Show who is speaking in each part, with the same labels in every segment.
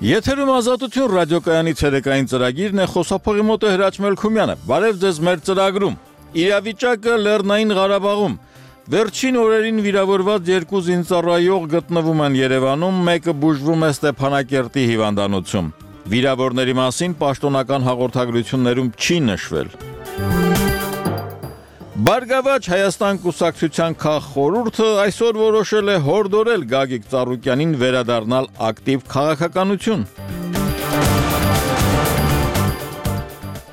Speaker 1: Եթերում ազատություն ռադիոկայանի ցերեկային ծրագիրն է, խոսափողի մոտ է Հրաչ Մելքումյանը։ Բարև ձեզ մեր ծրագրում։ Իրավիճակը Լեռնային Ղարաբաղում։ Վերջին օրերին վիրավորված 2 զինծառայող գտնվում են Երևանում, մեկը բուժվում է Ստեփանակերտի հիվանդանոցում։ Վիրավորների մասին պաշտոնական հաղորդագրություններում չի նշվել։ Բարգավաճ Հայաստան կուսակցության քաղխորհուրդը այսօր որոշել է հորդորել Գագիկ Ծառուկյանին վերադառնալ ակտիվ քաղաքականություն։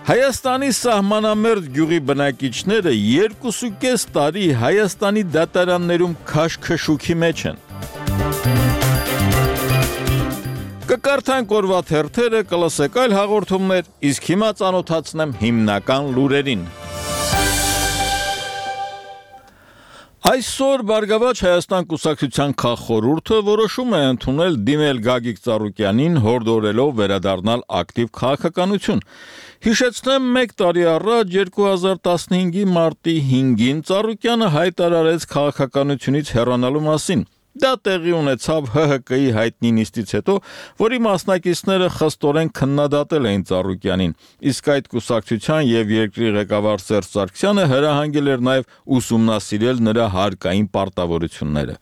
Speaker 1: Հայաստանի սահմանամերձ գյուղի բնակիչները 2.5 տարի Հայաստանի դատարաններում քաշքշուքի մեջ են։ Կկարդանք օրվա թերթերը, կլսեք այլ հաղորդումներ, իսկ հիմա ծանոթացնեմ հիմնական լուրերին։ Այսօր Բարգավաճ Հայաստան կուսակցության քաղխորհուրդը որոշում է ընդունել դիմել Գագիկ Ծառուկյանին հորդորելով վերադառնալ ակտիվ քաղաքականություն։ Հիշեցնեմ, 1 տարի առաջ 2015-ի մարտի 5-ին Ծառուկյանը հայտարարեց քաղաքականությունից հեռանալու մասին։ Դա տեղի ունեցավ ՀՀԿ-ի հայտնի նիստից հետո, որի մասնակիցները խստորեն քննադատել էին Ծառուկյանին, իսկ այդ կուսակցության եւ երկրի ղեկավար Սերժ Սարգսյանը հրահանգել էր նաեւ ուսումնասիրել նրա հարկային պարտավորությունները։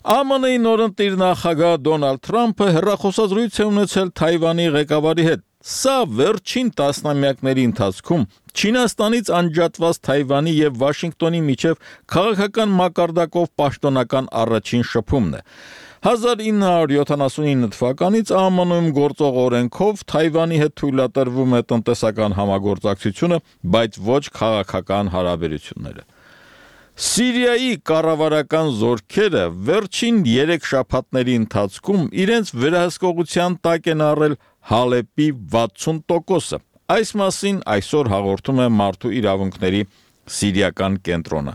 Speaker 1: ԱՄՆ-ի նորընտիր նախագահ Դոնալդ Թրամփը հեռախոսազրույց է ունեցել Թայվանի ղեկավարի հետ։ Սա վերջին տասնամյակների ընթացքում Չինաստանից անջատված Թայվանի եւ Վաշինգտոնի միջև քաղաքական մակարդակով պաշտոնական առաջին շփումն է։ 1979 թվականից ԱՄՆ-ում գործող օրենքով Թայվանի հետ թույլատրվում է տնտեսական համագործակցությունը, բայց ոչ քաղաքական հարաբերությունները։ Սիրիայի կառավարական զորքերը վերջին 3 շաբաթների ընթացքում իրենց վերահսկողության տակ են առել Հալեպի 60%-ը։ Այս մասին այսօր հաղորդում է Մարդու իրավունքների սիրիական կենտրոնը։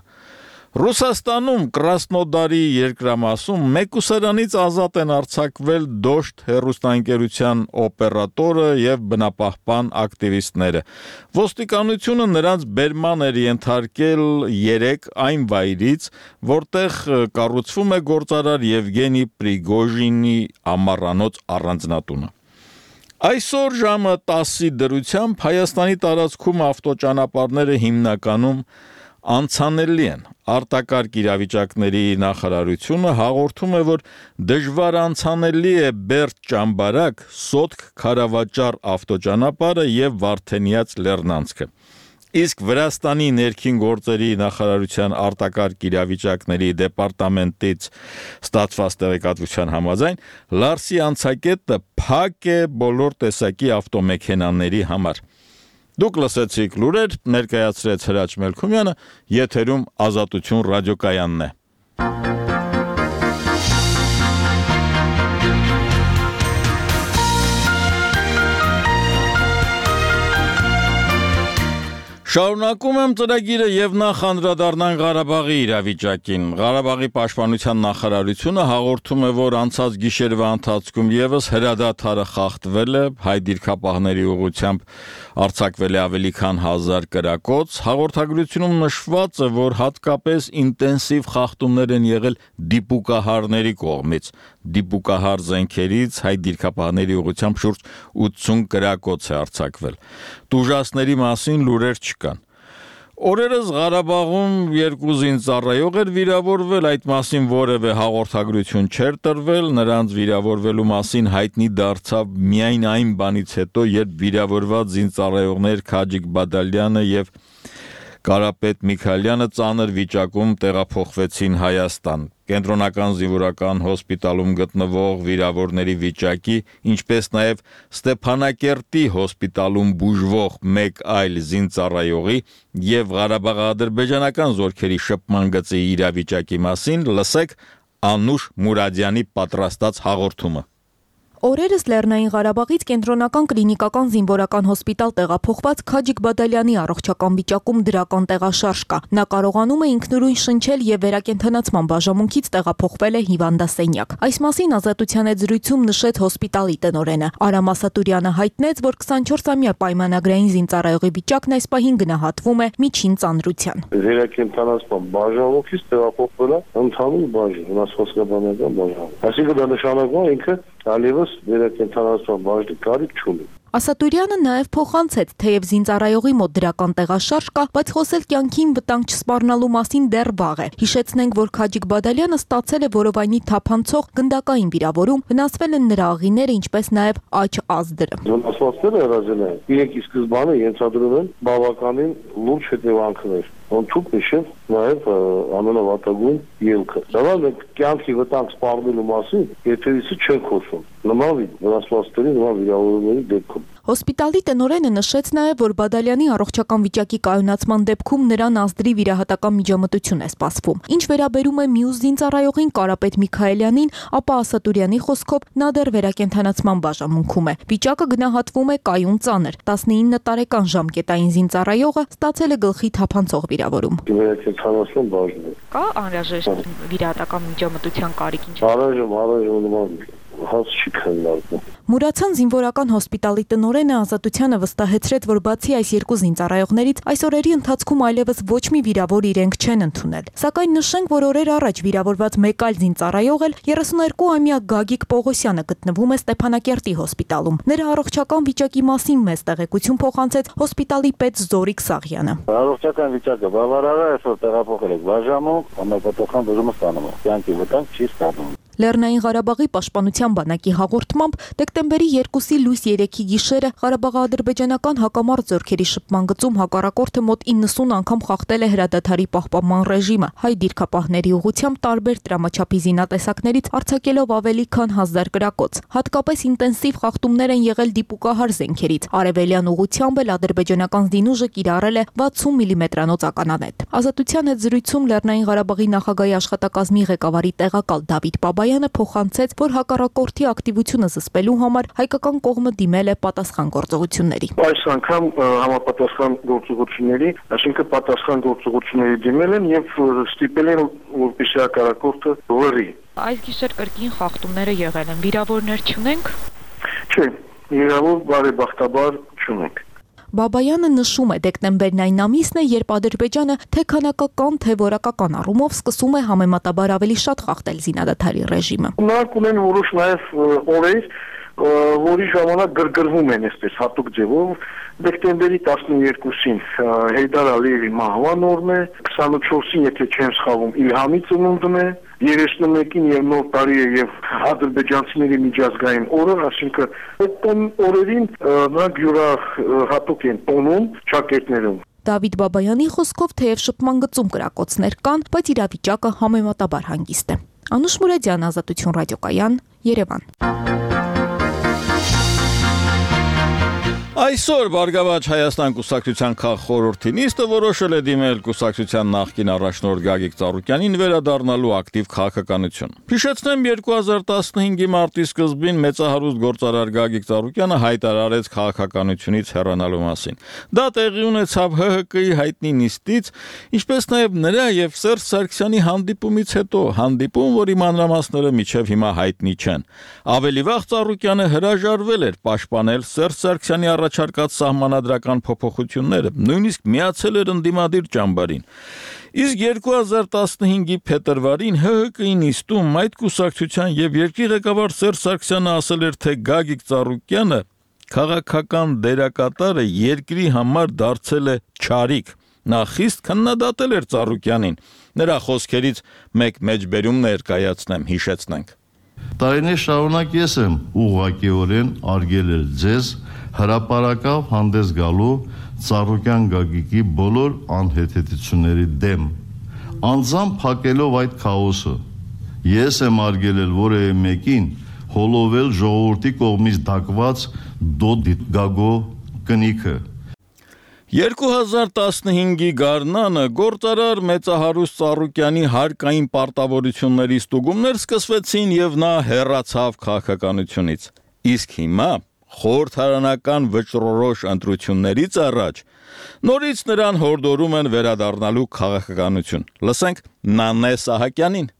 Speaker 1: Ռուսաստանում Կրասնոդարի երկրամասում մեկուսարանից ազատ են արձակվել Դոշտ հեռուստաընկերության օպերատորը եւ բնապահպան ակտիվիստները։ Ոստիկանությունը նրանց բերման էր ենթարկել 3 այն վայրից, որտեղ կառուցվում է գործարար Եվգենի Պրիգոժինի ամառանոց առանձնատունը։ Այսօր ժամը 10-ի դրությամբ Հայաստանի տարածքում ավտոճանապարհները հիմնականում անցանելի են։ Արտակարգ իրավիճակների նախարարությունը հաղորդում է, որ դժվար անցանելի է Բերդ-Ճամբարակ, Սոտք-Քարավաճառ ավտոճանապարհը եւ Վարդենյաց լեռնանցքը։ Իսկ Վրաստանի ներքին գործերի նախարարության արտակարգ իրավիճակների դեպարտամենտից ստացված տեղեկատվության համաձայն Լարսի անցակետը փակ է բոլոր տեսակի ավտոմեքենաների համար։ Դուք լսեցիք լուրեր, ներկայացրեց Հրաչ Մելքումյանը, եթերում Ազատություն ռադիոկայանն է։ Շարունակում եմ ծրագիրը եւ նախ անդրադառնանք Ղարաբաղի իրավիճակին։ Ղարաբաղի պաշտպանության նախարարությունը հաղորդում է, որ անցած գիշերվա ընթացքում եւս հրադադարը խախտվել է, հայ դիրքապահների ուղղությամբ արձակվել է ավելի քան 1000 կրակոց։ Հաղորդագրությունում նշված է, որ հատկապես ինտենսիվ խախտումներ են եղել դիպուկահարների կողմից։ Դիպուկահար զենքերից հայ դիրքապահների ուղղությամբ շուրջ 80 կրակոց է արձակվել։ Տուժածների մասին լուրեր չկան։ Օրերս Ղարաբաղում 2 զինծառայող էր վիրավորվել, այդ մասին որևէ հաղորդագրություն չէր տրվել, նրանց վիրավորվելու մասին հայտնի դարձավ միայն այն բանից հետո, երբ վիրավորված զինծառայողներ Քաջիկ Բադալյանը եւ Կարապետ Միքայելյանը ծանր վիճակում տեղափոխվեցին Հայաստան։ Կենտրոնական զինվորական հոսպիտալում գտնվող վիրավորների վիճակի, ինչպես նաև Ստեփանակերտի հոսպիտալում բուժվող մեկ այլ զինծառայողի եւ Ղարաբաղ-ադրբեջանական զորքերի շփման գծի իրավիճակի մասին լսեք Անուշ Մուրադյանի պատրաստած հաղորդումը։
Speaker 2: Օրերս Լեռնային Ղարաբաղից կենտրոնական կլինիկական զինվորական հոսպիտալ տեղափոխված Քաջիկ Բադալյանի առողջական վիճակում դրական տեղաշարժ կա։ Նա կարողանում է ինքնուրույն շնչել եւ վերակենդանացման բաժանմունքից տեղափոխվել է հիվանդասենյակ։ Այս մասին Ազատության հետ զրույցում նշեց հոսպիտալի տնօրենը։ Արամ Ասատուրյանը հայտնեց, որ 24-ամյա պայմանագրային զինծառայողի վիճակն այս պահին գնահատվում է միջին ծանրության։
Speaker 3: Վերակենդանացման բաժանմունքից տեղափոխվել է ընդհանուր բաժան, վնասվածքաբանական բաժան։ Այսինքն դա նշանակում է ինքը այլևս վերակենդանացման բաժնի կարիք չունի։
Speaker 2: Ասատուրյանը նաև փոխանցեց, թեև զինծառայողի մոտ դրական տեղաշարժ կա, բայց խոսել կյանքին վտանգ չսպառնալու մասին դեռ վաղ է։ Հիշեցնենք, որ Քաջիկ Բադալյանը ստացել է որովայնի թափանցող գնդակային վիրավորում, վնասվել են նրա աղիները, ինչպես նաև աջ ազդրը։
Speaker 3: Վնասվածքները հրաժարվել են։ Իրենք ի սկզբանե ենթադրում են բավականին լուրջ հետևանքներ։ Թուք նշել նաև ամենավատագույն ելքը։ Դա մենք կյանքի վտանգ սպառնելու մասին եթերից չենք խոսում։ Նման վնասվածքների, նման վիրավորումների դեպքում։
Speaker 2: Հոսպիտալի տնօրենը նշեց նաև, որ Բադալյանի առողջական վիճակի կայունացման դեպքում նրան ազդրի վիրահատական միջամտություն է սպասվում։ Ինչ վերաբերում է մյուս զինծառայողին Կարապետ Միքայելյանին, ապա Ասատուրյանի խոսքով նա դեռ վերակենդանացման բաժանմունքում է։ Վիճակը գնահատվում է կայուն ծանր։ 19 տարեկան ժամկետային զինծառայողը ստացել է գլխի թափանցող վիրավորում։
Speaker 3: Վերակենդանացման բաժնում
Speaker 2: Կա անհրաժեշտ վիրահատական միջամտության կարիք ինչ։
Speaker 3: Առայժմ հաց չի քննարկվում։
Speaker 2: Մուրացան զինվորական հոսպիտալի տնօրենը Ազատությանը վստահեցրեց, որ բացի այս երկու զինծառայողներից այս օրերի ընթացքում այլևս ոչ մի վիրավոր իրենք չեն ընդունել։ Սակայն նշենք, որ օրեր առաջ վիրավորված մեկ այլ զինծառայող էլ 32-ամյա Գագիկ Պողոսյանը գտնվում է Ստեփանակերտի հոսպիտալում։ Նրա առողջական վիճակի մասին մեծ տեղեկություն փոխանցեց հոսպիտալի պետ Զորիկ Սաղյանը։
Speaker 4: Առողջական վիճակը բավարար է, այսօր տեղափոխել եք բաժանում, համապատասխան բուժումը ստանում է։ Կյանքի վտանգ չի ստանում։
Speaker 2: Լեռնային Ղարաբաղի պաշտպանության բանակի հաղորդմամբ դեկտեմբերի 2-ի լույս 3-ի գիշերը Ղարաբաղ-ադրբեջանական հակամարտ զորքերի շփման գծում հակառակորդը մոտ 90 անգամ խախտել է հրադադարի պահպանման ռեժիմը, հայ դիրքապահների ուղղությամբ տարբեր տրամաչափի զինատեսակներից արձակելով ավելի քան 1000 կրակոց։ Հատկապես ինտենսիվ խախտումներ են եղել դիպուկահար զենքերից։ Արևելյան ուղղությամբ էլ ադրբեջանական զինուժը կիրառել է 60 մմ-անոց ականանետ։ Ազատության հետ զրույցում Լեռնային Ղարաբաղի նախագահի աշխատակազմի ղեկավարի տեղակալ Դավիթ Բաբայանը փոխանցեց, որ հակառակորդի ակտիվությունը զսպելու համար հայկական կողմը դիմել է պատասխան գործողությունների։
Speaker 3: Այս անգամ համապատասխան գործողությունների, այսինքն պատասխան գործողությունների դիմել են եւ ստիպել են, որպեսզի հակառակորդը լռի։
Speaker 2: Այս գիշեր կրկին խախտումները եղել են, վիրավորներ չունենք։
Speaker 3: Չէ, վիրավոր բարեբախտաբար չունենք։
Speaker 2: Բաբայանը նշում է, դեկտեմբերն այն ամիսն է, երբ Ադրբեջանը թե քանակական, թե որակական առումով սկսում է համեմատաբար ավելի շատ խախտել զինադադարի ռեժիմը։
Speaker 3: Նրանք ունեն որոշ նաև օրեր, որի ժամանակ գրգռվում են այսպես հատուկ ձևով։ Դեկտեմբերի 12-ին Հեյդար Ալիևի մահվան օրն է, 24-ին, եթե չեմ սխալվում, Իլհամի ծնունդն է, 31-ին եւ նոր տարի է եւ ադրբեջանցիների միջազգային օրը, այսինքն այդ օրերին նրանք յուրահատուկ են տոնում ճակերտներում։
Speaker 2: Դավիթ Բաբայանի խոսքով թեև շփման գծում կրակոցներ կան, բայց իրավիճակը համեմատաբար հանգիստ է։ Անուշ Մուրադյան, Ազատություն ռադիոկայան, Երևան։
Speaker 1: Այսօր Բարգավաճ Հայաստան կուսակցության քաղխորհրդի նիստը որոշել է դիմել կուսակցության նախկին առաջնորդ Գագիկ Ծառուկյանին վերադառնալու ակտիվ քաղաքականություն։ Հիշեցնեմ 2015-ի մարտի սկզբին մեծահարուստ գործարար Գագիկ Ծառուկյանը հայտարարեց քաղաքականությունից հեռանալու մասին։ Դա տեղի ունեցավ ՀՀԿ-ի հայտնի նիստից, ինչպես նաև նրա եւ Սերժ Սարգսյանի հանդիպումից հետո, հանդիպում, որի մանրամասները մինչև հիմա հայտնի չեն։ Ավելի վաղ Ծառուկյանը հրաժարվել էր պաշտպանել Սերժ Սարգսյանի առաջարկած սահմանադրական փոփոխությունները, նույնիսկ միացել էր ընդդիմադիր ճամբարին։ Իսկ 2015-ի փետրվարին ՀՀԿ-ի նիստում այդ կուսակցության եւ երկրի ղեկավար Սերժ Սարգսյանը ասել էր, թե Գագիկ Ծառուկյանը քաղաքական դերակատարը երկրի համար դարձել է չարիք։ Նա խիստ քննադատել էր Ծառուկյանին։ Նրա խոսքերից մեկ մեջբերում ներկայացնեմ, հիշեցնենք։
Speaker 5: Տարիներ շարունակ ես եմ ուղղակիորեն արգել էր ձեզ հրապարակավ հանդես գալու Ծառուկյան Գագիկի բոլոր անհեթեթությունների դեմ, անձամբ փակելով այդ քաոսը։ Ես եմ արգելել որևէ մեկին հոլովել ժողովրդի կողմից դակված դոդգագո կնիքը։
Speaker 1: 2015-ի գարնանը գործարար մեծահարուստ Ծառուկյանի հարկային պարտավորությունների ստուգումներ սկսվեցին եւ նա հեռացավ քաղաքականությունից։ Իսկ հիմա խորհրդարանական վճռորոշ ընտրություններից առաջ նորից նրան հորդորում են վերադառնալու քաղաքականություն։ Լսենք Նանե Սահակյանին։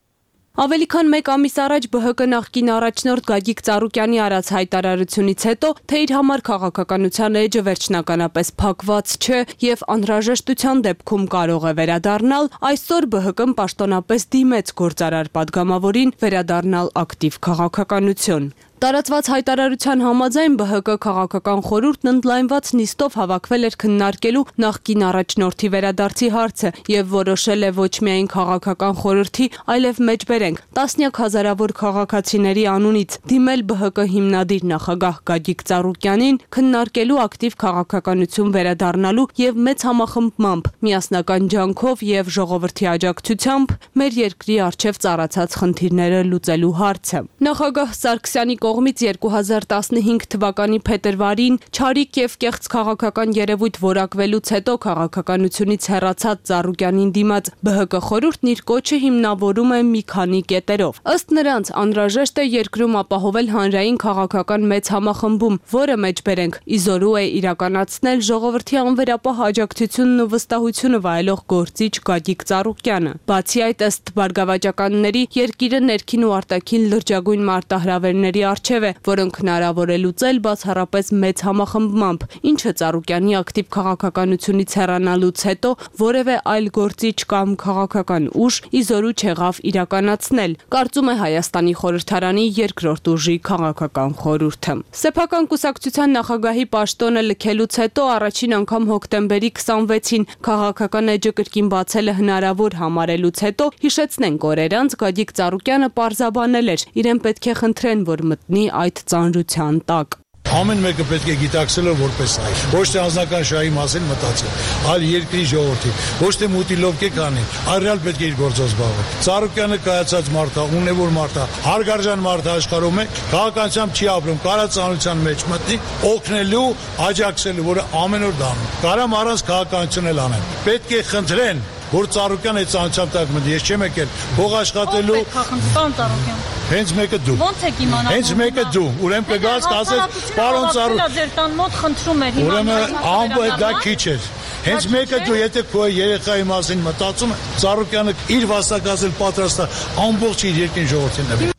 Speaker 6: Ավելի քան մեկ ամիս առաջ ԲՀԿ նախկին առաջնորդ Գագիկ Ծառուկյանի արած հայտարարությունից հետո, թե իր համար քաղաքականության էջը վերջնականապես փակված չէ եւ անհրաժեշտության դեպքում կարող է վերադառնալ, այսօր ԲՀԿ-ն պաշտոնապես դիմեց գործարար պատգամավորին վերադառնալ ակտիվ քաղաքականություն։ Տարածված հայտարարության համաձայն ԲՀԿ քաղաքական խորհուրդն ընդլայնված նիստով հավաքվել էր քննարկելու նախկին առաջնորդի վերադարձի հարցը եւ որոշել է ոչ միայն քաղաքական խորհրդի, այլև մեջբերենք տասնյակ հազարավոր քաղաքացիների անունից դիմել ԲՀԿ հիմնադիր նախագահ Գագիկ Ծառուկյանին քննարկելու ակտիվ քաղաքականություն վերադառնալու եւ մեծ համախմբմամբ միասնական ջանքով եւ ժողովրդի աջակցությամբ մեր երկրի առջեւ ծառացած խնդիրները լուծելու հարցը։ Նախագահ Սարգսյանի կողմից 2015 թվականի փետրվարին չարիք եւ կեղծ քաղաքական երևույթ որակվելուց հետո քաղաքականությունից հեռացած Ծառուկյանին դիմաց ԲՀԿ խորհուրդն իր կոչը հիմնավորում է մի քանի կետերով։ Ըստ նրանց անհրաժեշտ է երկրում ապահովել հանրային քաղաքական մեծ համախմբում, որը մեջբերենք իզորու է իրականացնել ժողովրդի անվերապահ աջակցությունն ու վստահությունը վայելող գործիչ Գագիկ Ծառուկյանը։ Բացի այդ, ըստ բարգավաճականների, երկիրը ներքին ու արտաքին լրջագույն մարտահրավերների առջև է, որոնք հնարավոր է լուծել բացառապես մեծ համախմբմամբ, ինչը Ծառուկյանի ակտիվ քաղաքականությունից հեռանալուց հետո որևէ այլ գործիչ կամ քաղաքական ուժ իզորու չեղավ իրականացնել, կարծում է Հայաստանի խորհրդարանի երկրորդ ուժի քաղաքական խորհուրդը։ Սեփական կուսակցության նախագահի պաշտոնը լքելուց հետո առաջին անգամ հոկտեմբերի 26-ին քաղաքական էջը կրկին բացելը հնարավոր համարելուց հետո հիշեցնենք օրեր անց Գագիկ Ծառուկյանը պարզաբանել էր, իրեն պետք է խնդրեն, որ մտնի այդ ծանրության տակ։
Speaker 7: Ամեն մեկը պետք է գիտակցել որպես այլ, ոչ թե անձնական շահի մասին մտածել, այլ երկրի ժողովրդի, ոչ թե մուտի լոբկե կանի, այլ ռեալ պետք է իր գործով զբաղվել։ Ծառուկյանը կայացած մարդ է, ունևոր մարդ է, հարգարժան մարդ է աշխարհում է, քաղաքականությամբ չի ապրում, կարա ծանրության մեջ մտնի, օգնելու, աջակցելու, որը ամեն օր դառնում։ Կարամ առանց քաղաքականություն էլ անեն։ Պետք է խնդրեն, որ Ծառուկյանը այդ ծանրությամբ տակ մտնի, ես չեմ եկել փող աշխատելու։
Speaker 8: Պարոն Ծառուկյան։
Speaker 7: Հենց մեկը դու։
Speaker 8: Ո՞նց եք իմանալ։
Speaker 7: Հենց մեկը դու։ Ուրեմն կգաս կասես, պարոն Ծառուկյան։
Speaker 8: Ձեր տան մոտ խնդրում էր հիմա։
Speaker 7: Ուրեմն ամբողջ դա քիչ էր։ Հենց մեկը դու, եթե քո երեխայի մասին մտածում ես, Ծառուկյանը իր վաստակացել պատրաստ է ամբողջ իր երկրին ժողովրդին նվիրել։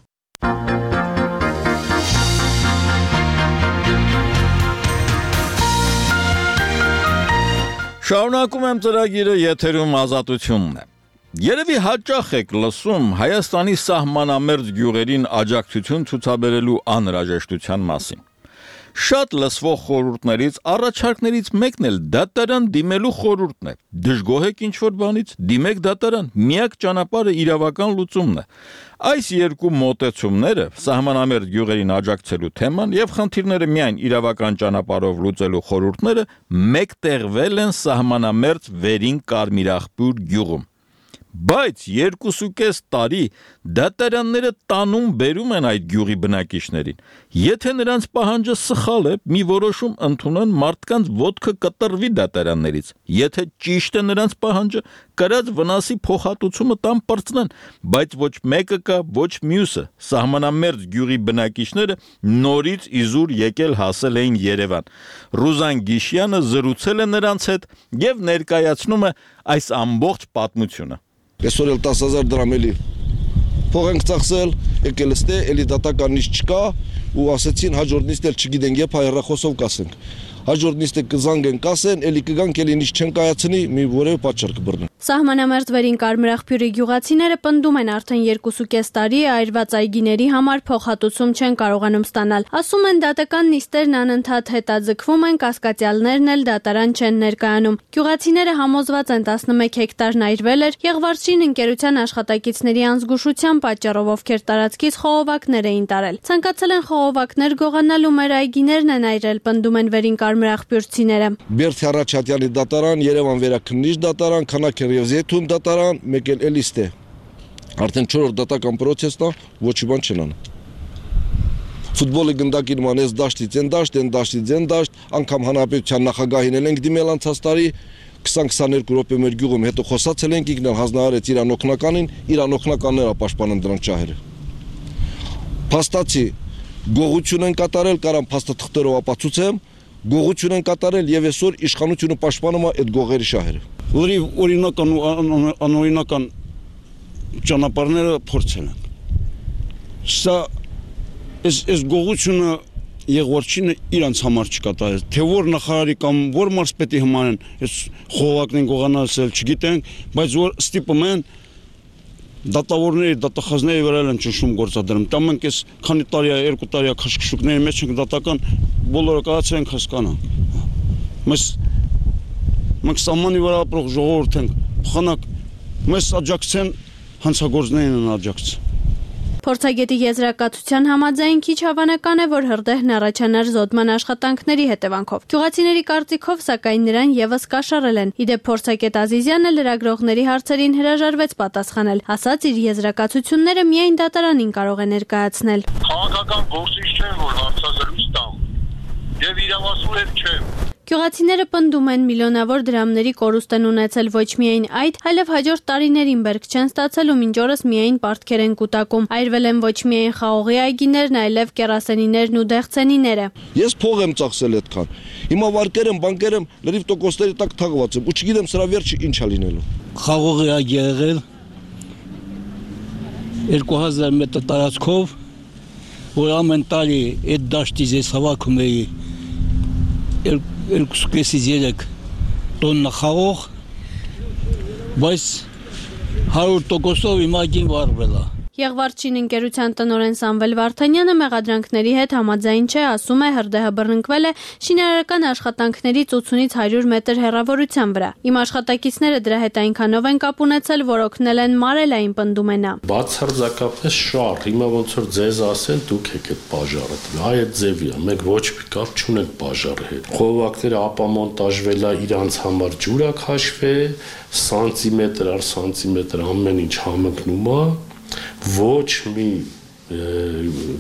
Speaker 1: Շարունակում եմ ծրագիրը, եթերում Ազատությունն է։ Երևի հաճախ եք լսում Հայաստանի սահմանամերձ գյուղերին աջակցություն ցուցաբերելու անհրաժեշտության մասին։ Շատ լսվող խորհուրդներից, առաջարկներից մեկն էլ դատարան դիմելու խորհուրդն է։ Դժգոհ եք ինչ-որ բանից, դիմեք դատարան, միակ ճանապարհը իրավական լուծումն է։ Այս երկու մոտեցումները, սահմանամերձ գյուղերին աջակցելու թեման եւ խնդիրները միայն իրավական ճանապարհով լուծելու խորհուրդները մեկտեղվել են սահմանամերձ Վերին Կարմիրախպյուր գյուղում։ Բայց 2.5 տարի դատարանները տանում բերում են այդ գյուղի բնակիչներին։ Եթե նրանց պահանջը սխալ է, մի որոշում ընդունեն, մարդկանց ոտքը կտրվի դատարաններից։ Եթե ճիշտ է նրանց պահանջը, կրած վնասի փոխհատուցումը տան պրծնեն, բայց ոչ մեկը կա, ոչ մյուսը։ Սահմանամերձ գյուղի բնակիչները նորից իզուր եկել հասել էին Երևան։ Ռուզան Գիշյանը զրուցել է նրանց հետ եւ ներկայացնում է այս ամբողջ պատմությունը։
Speaker 9: Այսօր էլ 10,000 դրամ էլի փող ենք ծախսել, եկել ստե, էլի դատական նիստ չկա ու ասեցին հաջորդ նիստ էլ չգիտենք, երբ հեռախոսով կասենք։ Հաջորդ նիստը կզանգեն կասեն, էլի կգանք, էլի նիստ չեն կայացնի, մի որևէ պատճառ կբռնեն։
Speaker 10: Սահմանամերձ Վերին Կարմիրախպյուրի գյուղացիները պնդում են արդեն 2.5 տարի այրված այգիների համար փոխհատուցում չեն կարողանում ստանալ։ Ասում են դատական նիստերն անընդհատ հետաձգվում են, կասկածյալներն էլ դատարան չեն ներկայանում։ Գյուղացիները համոզված են 11 հեկտարն այրվել էր, Եղվարչին ընկերության աշխատակիցների անզգուշության պատճառով, ովքեր տարածքից խողովակներ էին տարել։ Ցանկացել են խողովակներ գողանալ ու մեր այգիներն են այրել, պնդում են Վերին Կարմիրախպյուրցիները։
Speaker 9: Բերդի Առաջատյանի դատարան, Երևան վերաքննիչ դատարան, Քանաքեր եւ Զեյթուն դատարան, մեկ էլ էլիստ է։ Արդեն 4-րդ դատական պրոցեսն է, ոչի բան չեն անում։ Ֆուտբոլի գնդակի նման էս դաշտից են դաշտ, են դաշտից են դաշտ, անգամ հանրապետության նախագահին էլ ենք դիմել անցած տարի 20-22 րոպե մեր գյուղում, հետո խոսացել ենք, ինքն էլ հանձնարարեց իր անօգնականին, իր անօգնականները պաշտպանում դրանք ճահերը։ Փաստացի գողություն են կատարել, կարամ փաստաթղթերով ապացուցեմ, գողություն են կատարել եւ այսօր իշխանությունը պաշտպանում է այդ գողերի շահերը։
Speaker 11: Օրինական ու անօրինական ճանապարհները փորձել են։ Սա այս գողությունը Եղվարչինը իրանց համար չկատարեց, թե որ նախարարի կամ որ մարզպետի համար են այս խողովակներն գողանալսել, չգիտենք, բայց որ ստիպում են դատավորների, դատախազների վրա են ճնշում գործադրում։ Դա մենք այս քանի տարի է, 2 տարի է քաշքշուկների մեջ ենք դատական բոլորը կայացել ենք հասկանանք։ Մենք սահմանի վրա ապրող ժողովուրդ ենք, փոխանակ մեզ աջակցեն հանցագործներին են աջակցել։
Speaker 10: Փորձագետի եզրակացության համաձայն քիչ հավանական է, որ հրդեհն առաջանար զոդման աշխատանքների հետևանքով։ Գյուղացիների կարծիքով, սակայն նրան եւս կաշառել են։ Իդեպ փորձագետ Ազիզյանը լրագրողների հարցերին հրաժարվեց պատասխանել, ասաց իր եզրակացությունները միայն դատարանին կարող է ներկայացնել։
Speaker 12: Քաղաքական գործիչ չեմ, որ հարցազրույց տամ, եւ իրավասու էլ չեմ։
Speaker 10: Գյուղացիները պնդում են միլիոնավոր դրամների կորուստ են ունեցել ոչ միայն այդ, այլև հաջորդ տարիներին բերք չեն ստացել ու մինչ օրս միայն պարտքեր են կուտակում։ Այրվել են ոչ միայն խաղողի այգիներն, այլև կերասենիներն ու դեղցենիները։
Speaker 9: Ես փող եմ ծախսել այդքան։ Հիմա վարկեր եմ, բանկեր եմ, լրիվ տոկոսների տակ թաղված եմ ու չգիտեմ սրա վերջը ինչ է լինելու։
Speaker 13: Խաղողի այգի եղել 2000 մետր տարածքով, որ ամեն տարի այդ դաշտից ես հավաքում էի 2.5-3 տոննա խաղող, բայց 100%-ով իմ այգին վառվել է։
Speaker 10: Եղվարչին ընկերության տնօրեն Սամվել Վարդանյանը մեղադրանքների հետ համաձայն չէ, ասում է հրդեհը բռնկվել է շինարարական աշխատանքներից 80-ից 100 մետր հեռավորության վրա։ Իմ աշխատակիցները դրա հետ այնքանով են կապ ունեցել, որ օգնել են մարելային, պնդում է նա։
Speaker 14: Բացարձակապես շահ, հիմա ոնց որ ձեզ ասեն, դուք եք այդ բաժարը։ Այդ ձևի է, մենք ոչ մի կապ չունենք բաժարի հետ։ Խողովակները ապամոնտաժվել է, իրանց համար ջուր է քաշվել, սանտիմետր առ սանտիմետր ամեն ինչ համընկնում է։ Ոչ մի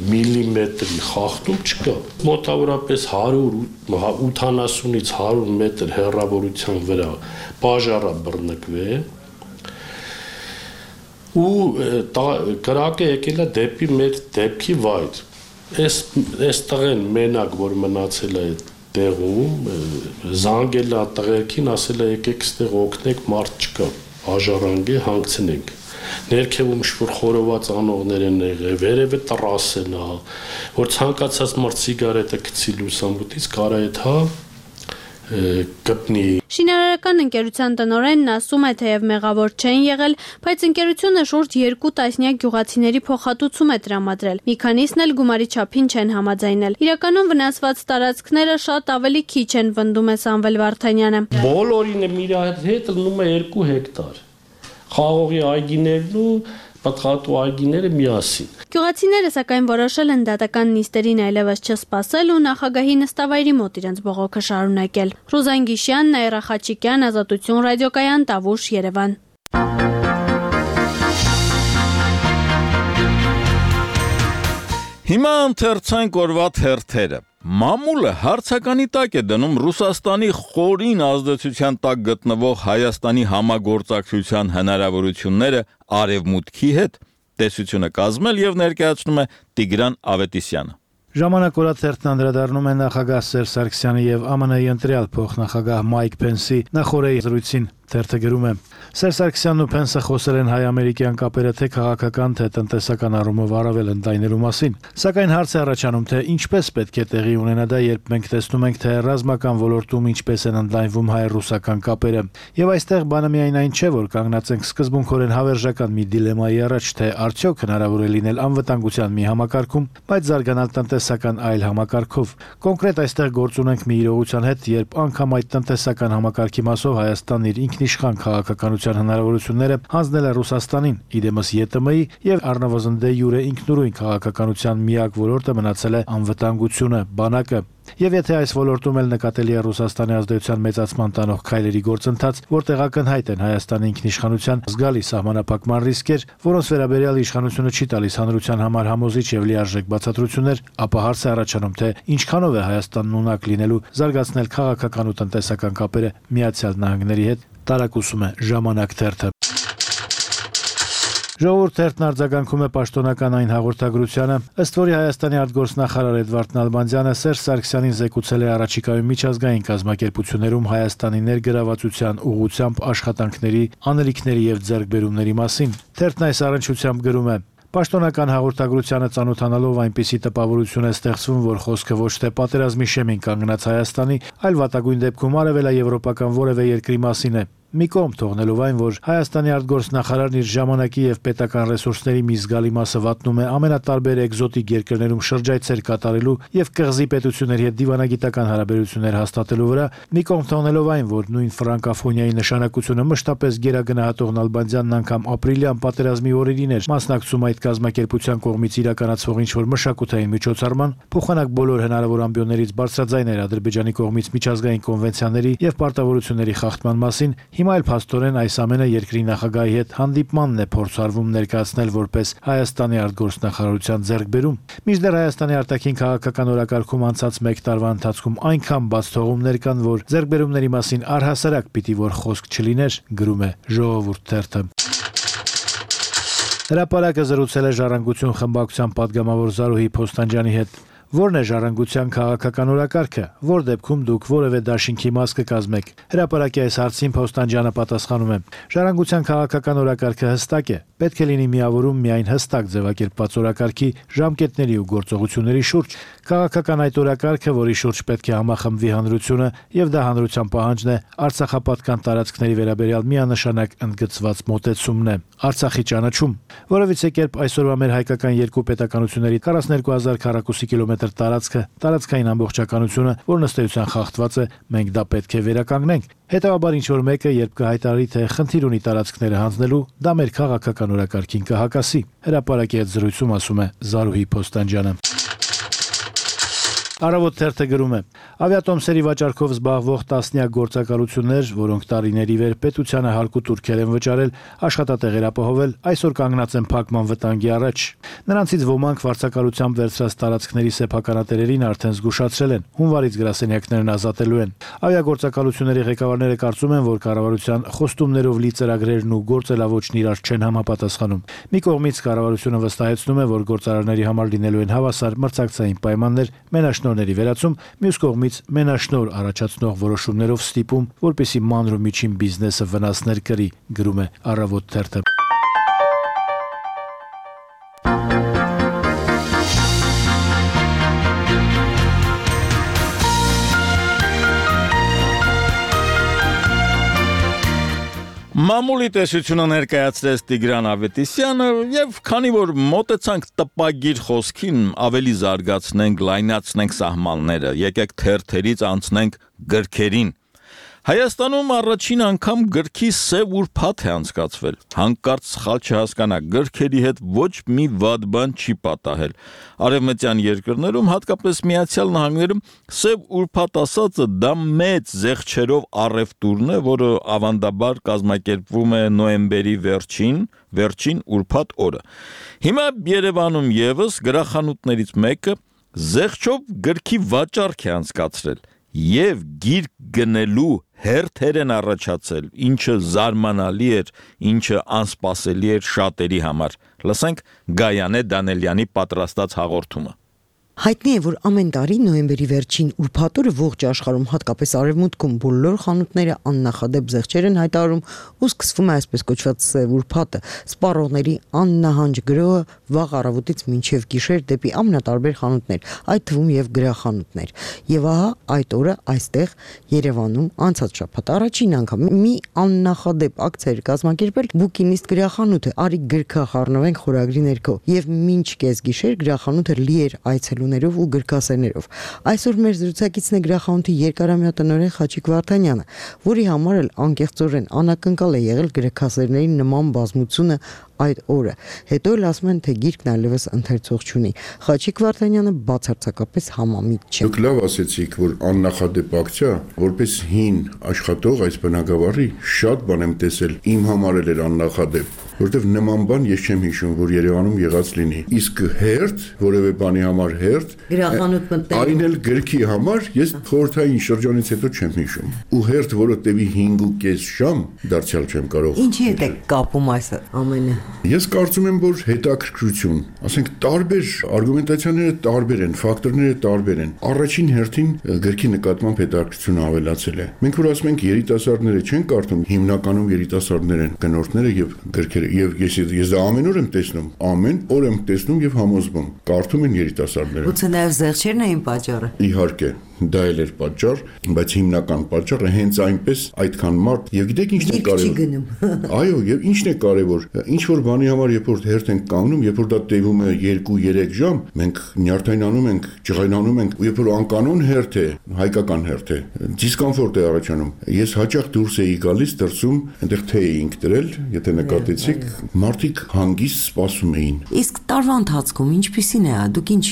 Speaker 14: միլիմետրի խախտում չկա։ Մոտավորապես 180-ից 100 մետր հեռավորության վրա բաժարը բռնկվել ու կրակը եկել է դեպի մեր դեպքի վայր։ Այս տղեն մենակ, որ մնացել է տեղում, զանգել է տղերքին, ասել է եկեք ստեղ օգնեք, մարդ չկա, բաժարանք է, հանգցնենք։ Ներքևում շուր խորոված անողներ են եղել, վերևը տրասեն է, որ ցանկացած մարդ սիգարետը գցի լուսամուտից կարա այդ կպնի։
Speaker 10: Շինարարական ընկերության տնօրենն ասում է, թեև մեղավոր չեն եղել, բայց ընկերությունը շուրջ 2 տասնյակ գյուղացիների փոխհատուցում է տրամադրել։ Մի քանիսն էլ գումարի չափին չեն համաձայնել։ Իրականում վնասված տարածքները շատ ավելի քիչ են, պնդում է Սամվել Վարդանյանը։
Speaker 14: Բոլորին իր հետ լնում է 2 հեկտար։ Խաղողի այգիներն ու պատղատու այգիները միասին։
Speaker 10: Գյուղացիները սակայն որոշել են դատական նիստերին այլևս չսպասել ու նախագահի նստավայրի մոտ իրենց բողոքը շարունակել։ Ռուզան Գիշյան, Նաիրա Խաչիկյան, Ազատություն ռադիոկայան, Տավուշ, Երևան։
Speaker 1: Հիմա ընթերցանք օրվա թերթերը։ Մամուլը հարցականի տակ է դնում Ռուսաստանի խորին ազդեցության տակ գտնվող Հայաստանի համագործակցության հնարավորությունները արևմուտքի հետ, տեսությունը կազմել եւ ներկայացնում է Տիգրան Ավետիսյանը։
Speaker 15: Ժամանակ օրաթերթն անդրադառնում է նախագահ Սերժ Սարգսյանի եւ ԱՄՆ-ի ընտրյալ փոխնախագահ Մայք Փենսի նախորդի զրույցին։ Թերթը գրում է. Սերժ Սարգսյանն ու Փենսը խոսել են հայ-ամերիկյան կապերը թե քաղաքական, թե տնտեսական առումով առավել ընդայնելու մասին։ Սակայն հարց է առաջանում, թե ինչպես պետք է տեղի ունենա դա, երբ մենք տեսնում ենք, թե ռազմական ոլորտում ինչպես են ընդլայնվում հայ-ռուսական կապերը։ Եվ այստեղ բանը միայն այն չէ, որ կանգնած ենք սկզբունքորեն հավերժական մի դիլեմայի առաջ, թե արդյոք հնարավոր է լինել անվտանգության մի համակարգում, բայց զարգանալ տնտեսական այլ համակարգով։ Կոնկրետ այստեղ գործ ունենք մի իրողության հետ, երբ անգամ այդ տնտեսական համակարգի մասով Հայաստանն իր ինքնիշխան քաղաքականության հնարավորությունները հանձնել է Ռուսաստանին, իդեմս ԵՏՄ-ի եւ առնվազն դե յուրե ինքնուրույն քաղաքականության միակ ոլորտը մնացել է անվտանգությունը, բանակը։ Եվ եթե այս ոլորտում էլ նկատելի է Ռուսաստանի ազդեցության մեծացման տանող քայլերի գործընթաց, որտեղ ակնհայտ են Հայաստանի ինքնիշխանության զգալի սահմանափակման ռիսկեր, որոնց վերաբերյալ իշխանությունը չի տալիս հանրության համար համոզիչ եւ լիարժեք բացատրություններ, ապա հարց է առաջանում, թե ինչքանով է Հայաստանն ունակ լինելու զարգացնել քաղաքական ու տնտեսական կապերը Միացյալ Նահանգների հետ, տարակուսում է Ժամանակ թերթը։ Ժողովուրդ թերթն արձագանքում է պաշտոնական այն հաղորդագրությանը, ըստ որի Հայաստանի արտգործնախարար Էդվարդ Նալբանդյանը Սերժ Սարգսյանին զեկուցել է առաջիկայում միջազգային կազմակերպություններում Հայաստանի ներգրավվածության ուղղությամբ աշխատանքների, անելիքների եւ ձեռքբերումների մասին։ Թերթն այս առնչությամբ գրում է. Պաշտոնական հաղորդագրությանը ծանոթանալով այնպիսի տպավորություն է ստեղծվում, որ խոսքը ոչ թե պատերազմի շեմին կանգնած Հայաստանի, այլ վատագույն դեպքում արևելաեվրոպական որևէ երկրի մասին է։ մի կողմ թողնելով այն, որ Հայաստանի արտգործնախարարն իր ժամանակի եւ պետական ռեսուրսների մի զգալի մասը վատնում է ամենատարբեր էկզոտիկ երկրներում շրջայցեր կատարելու եւ կղզի պետությունների հետ դիվանագիտական հարաբերություններ հաստատելու վրա, մի կողմ թողնելով այն, որ նույն ֆրանկաֆոնիայի նշանակությունը մշտապես գերագնահատող Նալբանդյանն անգամ ապրիլյան պատերազմի օրերին էր մասնակցում այդ կազմակերպության կողմից իրականացվող ինչ-որ մշակութային միջոցառման, փոխանակ բոլոր հնարավոր ամբիոններից բարձրաձայն էր Ադրբեջանի կողմից միջազգային կոնվենցիաների եւ պարտավորությունների խախտման մասին, հիմա էլ փաստորեն այս ամենը երկրի նախագահի հետ հանդիպմանն է փորձարվում ներկայացնել որպես Հայաստանի արտգործնախարարության ձեռքբերում։ Մինչդեռ Հայաստանի արտաքին քաղաքական օրակարգում անցած 1 տարվա ընթացքում այնքան բաց թողումներ կան, որ ձեռքբերումների մասին առհասարակ պիտի որ խոսք չլիներ, գրում է Ժողովուրդ թերթը։ Հրապարակը զրուցել է Ժառանգություն խմբակցության պատգամավոր Զարուհի Փոստանջյանի հետ։ Որն է ժառանգության քաղաքական օրակարգը, որ դեպքում դուք որևէ դաշինքի մաս կկազմեք։ Հրապարակի այս հարցին Փոստանջյանը պատասխանում է. Ժառանգության քաղաքական օրակարգը հստակ է, պետք է լինի միավորում միայն հստակ ձևակերպված օրակարգի ժամկետների ու գործողությունների շուրջ։ Քաղաքական այդ օրակարգը, որի շուրջ պետք է համախմբվի հանրությունը, եւ դա հանրության պահանջն է, Արցախապատկան տարածքների վերաբերյալ միանշանակ ընդգծված մոտեցումն է։ Արցախի ճանաչում, որովհետեւ կերպ այսօրվա մեր հայկական երկու պետականությունների 42000 քառակուսի կիլոմետր տարածքային ամբողջականությունը, որն ըստ էության խախտված է, մենք դա պետք է վերականգնենք։ Հետևաբար ինչ-որ մեկը, երբ կհայտարարի, թե խնդիր ունի տարածքները հանձնելու, դա մեր քաղաքական օրակարգին կհակասի։ Հրապարակի հետ զրույցում ասում է Զարուհի Փոստանջյանը։ Առավոտ թերթը գրում է. ավիատոմսերի վաճառքով զբաղվող տասնյակ գործակալություններ, որոնք տարիների վեր պետությանը հարկու տուրքեր են վճարել, աշխատատեղեր ապահովել, այսօր կանգնած են փակման վտանգի առաջ։ Նրանցից ոմանք վարձակալությամբ վերցրած տարածքների սեփականատերերին արդեն զգուշացրել են, հունվարից գրասենյակներն ազատելու են։ Ավիագործակալությունների ղեկավարները կարծում են, որ կառավարության խոստումներով լի ծրագրերն ու գործելավոճն իրար չեն համապատասխանում։ Մի կողմից կառավարությունը վստահեցնում է, որ գործարարների համար լինելու են հավասար մրցակցային պայմաններ, մենաշնորհների վերացում, մյուս կողմից մենաշնորհ առաջացնող որոշումներով ստիպում, որպեսզի մանր ու միջին բիզնեսը վնասներ կրի, գրում է Առավոտ թերթը։
Speaker 1: Մամուլի տեսությունը ներկայացրեց Տիգրան Ավետիսյանը եւ քանի որ մոտեցանք տպագիր խոսքին, ավելի զարգացնենք, լայնացնենք սահմանները, եկեք թերթերից անցնենք գրքերին։ Հայաստանում առաջին անգամ գրքի սև ուրբաթ է անցկացվել։ Հանկարծ սխալ չհասկանաք, գրքերի հետ ոչ մի վատ բան չի պատահել։ Արևմտյան երկրներում, հատկապես Միացյալ Նահանգներում, սև ուրբաթ ասածը դա մեծ զեղչերով առևտուրն է, որը ավանդաբար կազմակերպվում է նոյեմբերի վերջին ուրբաթ օրը։ Հիմա Երևանում եւս գրախանութներից մեկը զեղչով գրքի վաճառք է անցկացրել։ Եվ գիրք գնելու հերթեր են առաջացել, ինչը զարմանալի էր, ինչը անսպասելի էր շատերի համար։ Լսենք Գայանե Դանելյանի պատրաստած հաղորդումը։
Speaker 16: Հայտնի է, որ ամեն տարի նոյեմբերի վերջին ուրբաթ օրը ողջ աշխարհում, հատկապես արևմուտքում, բոլոր խանութները աննախադեպ զեղչեր են հայտարարում ու սկսվում է այսպես կոչված սև ուրբաթը, սպառողների աննահանջ գրոհը վաղ առավոտից մինչև գիշեր դեպի ամենատարբեր խանութներ, այդ թվում եւ գրախանութներ։ Եվ ահա այդ օրը այստեղ Երևանում անցած շաբաթ առաջին անգամ մի աննախադեպ ակցիա էր կազմակերպել Բուկինիստ գրախանութը, արի գրքա խառնվենք խորագրի ներքո, եւ մինչ կեսգիշեր գրախանութը լի էր այցելուներով ու գրքասերներով։ Այսօր մեր զրուցակիցն է գրախանութի երկարամյա տնօրեն Խաչիկ Վարդանյանը, որի համար էլ անկեղծորեն անակնկալ է եղել գրքասերների նման բազմությունը այդ օրը։ Հետո էլ ասում են, թե գիրքն այլևս ընթերցող չունի։ Խաչիկ Վարդանյանը բացարձակապես համամիտ չէ։
Speaker 17: Դուք լավ ասեցիք, որ աննախադեպ ակցիա, որպես հին աշխատող այս բնակավարի շատ բան եմ տեսել, իմ համար էլ էր աննախադեպ, որտեվ նման բան ես չեմ հիշում, որ Երևանում եղած լինի։ Իսկ հերթ, որևէ բանի համար հերթ,
Speaker 16: գրախանութ մտնել,
Speaker 17: այն էլ գրքի համար ես խորհրդային շրջանից հետո չեմ հիշում։ Ու հերթ, որը տևի 5.5 ժամ, դարձյալ չեմ կարող։
Speaker 16: Ինչի հետ է կապում այս ամենը։
Speaker 17: Ես կարծում եմ, որ հետաքրքրություն, ասենք տարբեր արգումենտացիաները տարբեր են, ֆակտորները տարբեր են։ Առաջին հերթին գրքի նկատմամբ հետաքրքրությունը ավելացել է։ Մենք որ ասում ենք երիտասարդները չեն կարդում, հիմնականում երիտասարդներ են գնորդները եւ գրքերը, եւ ես դա ամեն օր եմ տեսնում եւ համոզվում, կարդում են երիտասարդները։
Speaker 16: Ուցե նաեւ զեղչերն էին պատճառը։
Speaker 17: Իհարկե, Դա էլ էր պատճառ, բայց հիմնական պատճառը հենց այնպես այդքան մարդ եւ գիտեք ինչն է կարևոր։ Այո, եւ ինչն է կարևոր, ինչ որ բանի համար երբ որ հերթ ենք կանգնում, երբ որ դա տևում է 2-3 ժամ, մենք նյարդայնանում ենք, ջղայնանում ենք, երբ որ անկանոն հերթ է, հայկական հերթ է, դիսկոմֆորտ է առաջանում։ Ես հաճախ դուրս էի գալիս, դրսում այնտեղ թե էինք դրել, եթե նկատեցիք, մարդիկ հանգիստ սպասում էին։
Speaker 16: Իսկ տարվա ընթացքում ինչպիսին է, դուք ինչ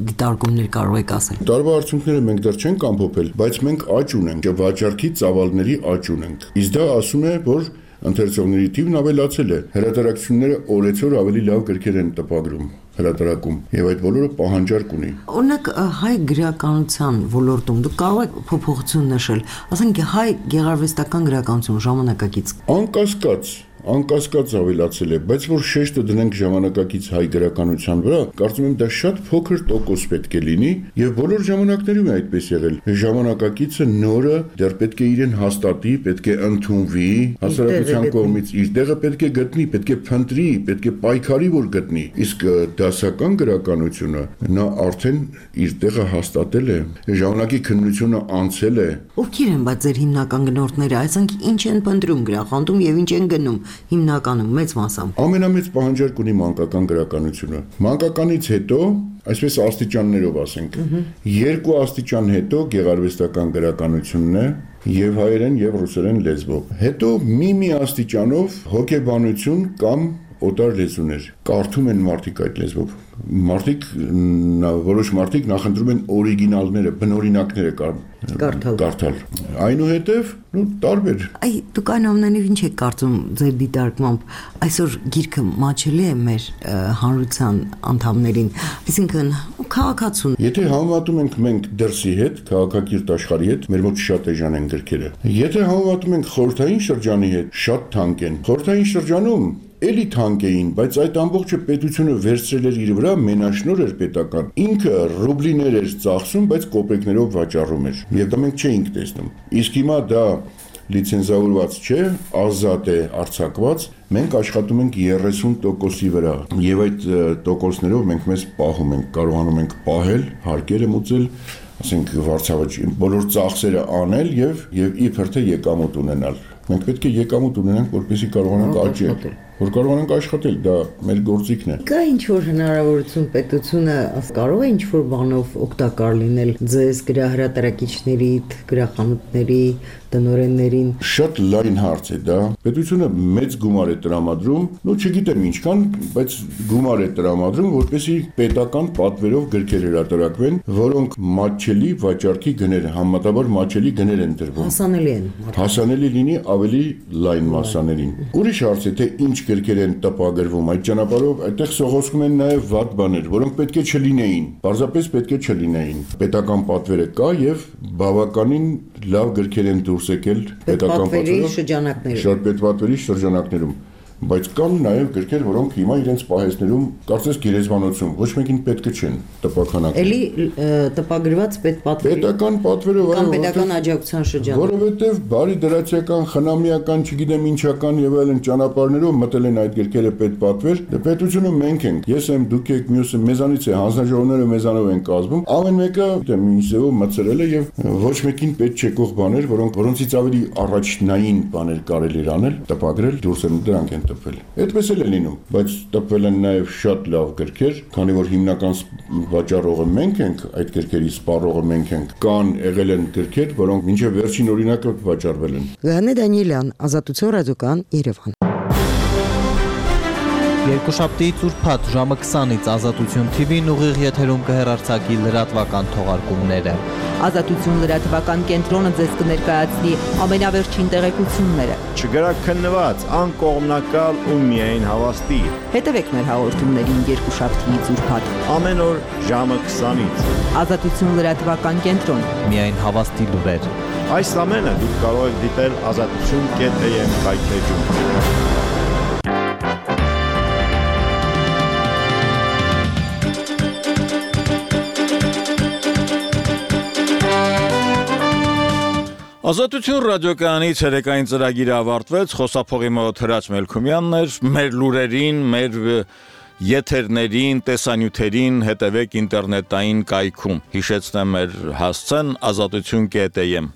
Speaker 16: դիտարկումներ կարող եք ասել։
Speaker 17: Տարվա արդյունքները մենք դեռ չենք ամփոփել, բայց մենք աճ ունենք, վաճառքի ծավալների աճ ունենք։ Իսկ դա ասում է, որ ընթերցողների թիվն ավելացել է։ Հրատարակությունները օրեցօր ավելի լավ գրքեր են տպագրում, հրատարակում, եւ այդ բոլորը պահանջարկ ունի։
Speaker 16: Օրինակ հայ գրականության ոլորտում դուք կարող եք փոփոխություն նշել, ասենք հայ գեղարվեստական գրականություն ժամանակակից։ Անկասկած ավելացել է, բայց որ շեշտը դնենք ժամանակակից հայ գրականության վրա, կարծում եմ դա շատ փոքր տոկոս պետք է լինի եւ բոլոր ժամանակներում է այդպես եղել։ Ժամանակակիցը նորը դեռ պետք է իրեն հաստատի, պետք է ընդունվի, հասարակության կողմից իր տեղը պետք է գտնի, պետք է փնտրի, պետք է պայքարի, որ գտնի։ Իսկ դասական գրականությունը նա արդեն իր տեղը հաստատել է, ժամանակի քննությունը անցել է։ Ովքեր են բայց ձեր հիմնական գնորդները, այսինքն ինչ են փնտրում գրախանութում եւ ինչ են գնում հիմնականում մեծ մասամբ։
Speaker 17: Ամենամեծ պահանջարկ ունի մանկական գրականությունը։ Մանկականից հետո, այսպես աստիճաններով ասենք, 2 աստիճան հետո գեղարվեստական գրականությունն է եւ հայերեն եւ ռուսերեն լեզվով։ Հետո մի աստիճանով հոգեբանություն կամ օտար լեզուներ։ Կարդում են մարդիկ այդ լեզվով։ Որոշ մարդիկ նախընտրում են օրիգինալները, բնօրինակները կարդալ։ Այնուհետև, տարբեր։
Speaker 16: Դուք այն ամենով ինչ եք կարծում ձեր դիտարկմամբ, այսօր գիրքը մաչելի է մեր հանրության անդամներին, այսինքն քաղաքացուն։
Speaker 17: Եթե համեմատում ենք մենք դրսի հետ, քաղաքակիրթ աշխարհի հետ, մեր մոտ շատ էժան են գրքերը։ Եթե համեմատում ենք խորհրդային շրջանի հետ, շատ թանկ են։ Խորհրդային շրջանում էլի թանկ էին, բայց այդ ամբողջը պետությունը վերցրել էր իր վրա, մենաշնոր էր պետական։ Ինքը ռուբլիներ էր ծախսում, բայց կոպեկներով վաճառում էր։ Եվ դա մենք չէինք տեսնում։ Իսկ հիմա դա լիցենզավորված չէ, ազատ է արձակված, մենք աշխատում ենք 30%-ի վրա։ Եվ այդ տոկոսներով մենք մեզ պահում ենք, կարողանում ենք պահել, հարկերը մուծել, ասենք վարձավճ, բոլոր ծախսերը անել եւ իբր թե եկամուտ ունենալ։ Մենք պետք է եկամուտ ունենանք, որպեսզի կարողանանք աճել, որ կարողանանք աշխատել, դա մեր գործիքն է։
Speaker 16: Կա ինչ որ հնարավորություն պետությունը կարող է ինչ որ բանով օգտակար լինել ձեզ գրահրատարակիչներից, գրախանութների տնօրեններին։
Speaker 17: Շատ լայն հարց է դա։ Պետությունը մեծ գումար է տրամադրում, չգիտեմ ինչքան, բայց գումար է տրամադրում, որպեսզի պետական պատվերով գրքեր հրատարակվեն, որոնք մատչելի վաճառքի գներ, համեմատաբար մատչելի գներ են դրվում։
Speaker 16: Հասանելի են։
Speaker 17: Հասանելի լինի ավելի լայն մասսաներին։ Ուրիշ հարց է, թե ինչ գրքեր են տպագրվում, այդ ճանապարհով այդտեղ սողոսկում են նաև վատ բաներ, որոնք պետք է չլինեին, պարզապես պետք է չլինեին։ Պետական պատվերը կա եւ բավականին լավ գրքեր են դուրս եկել պետական պատվերի շրջանակներում, բայց կան նաև գրքեր, որոնք հիմա իրենց պահեսներում կարծես գերեզմանոցում ոչ մեկին պետք չեն տպաքանակել։
Speaker 16: Էլի տպագրված
Speaker 17: պետական պատվերը
Speaker 16: կամ պետական աջակցության շրջանում,
Speaker 17: որովհետև բարի դրացիական, խնամիական, չգիտեմ ինչական եւ այլն ճանապարհներով մտել են այդ գրքերը պետպատվեր, պետությունը մենք ենք, ես եմ, դուք եք, մյուսը մեզանից է, հանձնաժողովները մեզանով են կազմում, ամեն մեկը ինչ ձևով մտցրել է եւ ոչ մեկին պետք չեկող բաներ, որոնցից ավելի առաջնային բաներ կարելի էր անել, տպագրել, դուրս են դրանք են տպվել։ Այդպես էլ է լինում, բայց տպվել են նաև շատ լավ գրքեր, քանի որ հիմնական վաճառողը մենք ենք, այդ գրքերի սպառողը մենք ենք։ Կան եղել են գրքեր, որոնք մինչև վերջին օրինակը վաճառվել են։
Speaker 16: Լեոնիդ Դանիելյան, Ազատություն ռադիոկայան, Երևան։
Speaker 18: Երկուշաբթիից ուրբաթ ժամը 20-ից Ազատություն TV-ն ուղիղ եթերում կհեռարձակի լրատվական թողարկումները։
Speaker 19: Ազատություն լրատվական կենտրոնը ձեզ կներկայացնի ամենավերջին տեղեկությունները։
Speaker 20: Չգրաքննված, անկողմնակալ ու միայն հավաստի։
Speaker 19: Հետևեք մեր հաղորդումներին երկուշաբթիից ուրբաթ
Speaker 20: ամեն օր ժամը 20-ից։
Speaker 19: Ազատություն լրատվական կենտրոն։
Speaker 18: Միայն հավաստի լուրեր։
Speaker 20: Այս ամենը դուք կարող եք դիտել azatutun.am կայքեջում։
Speaker 1: Ազատություն ռադիոկայանի ցերեկային ծրագիրը ավարտվեց, խոսափողի մոտ Հրաչ Մելքումյանն էր, մեր լուրերին, մեր եթերներին, տեսանյութերին հետևեք ինտերնետային կայքում։ Հիշեցնեմ մեր հասցեն ազատություն.am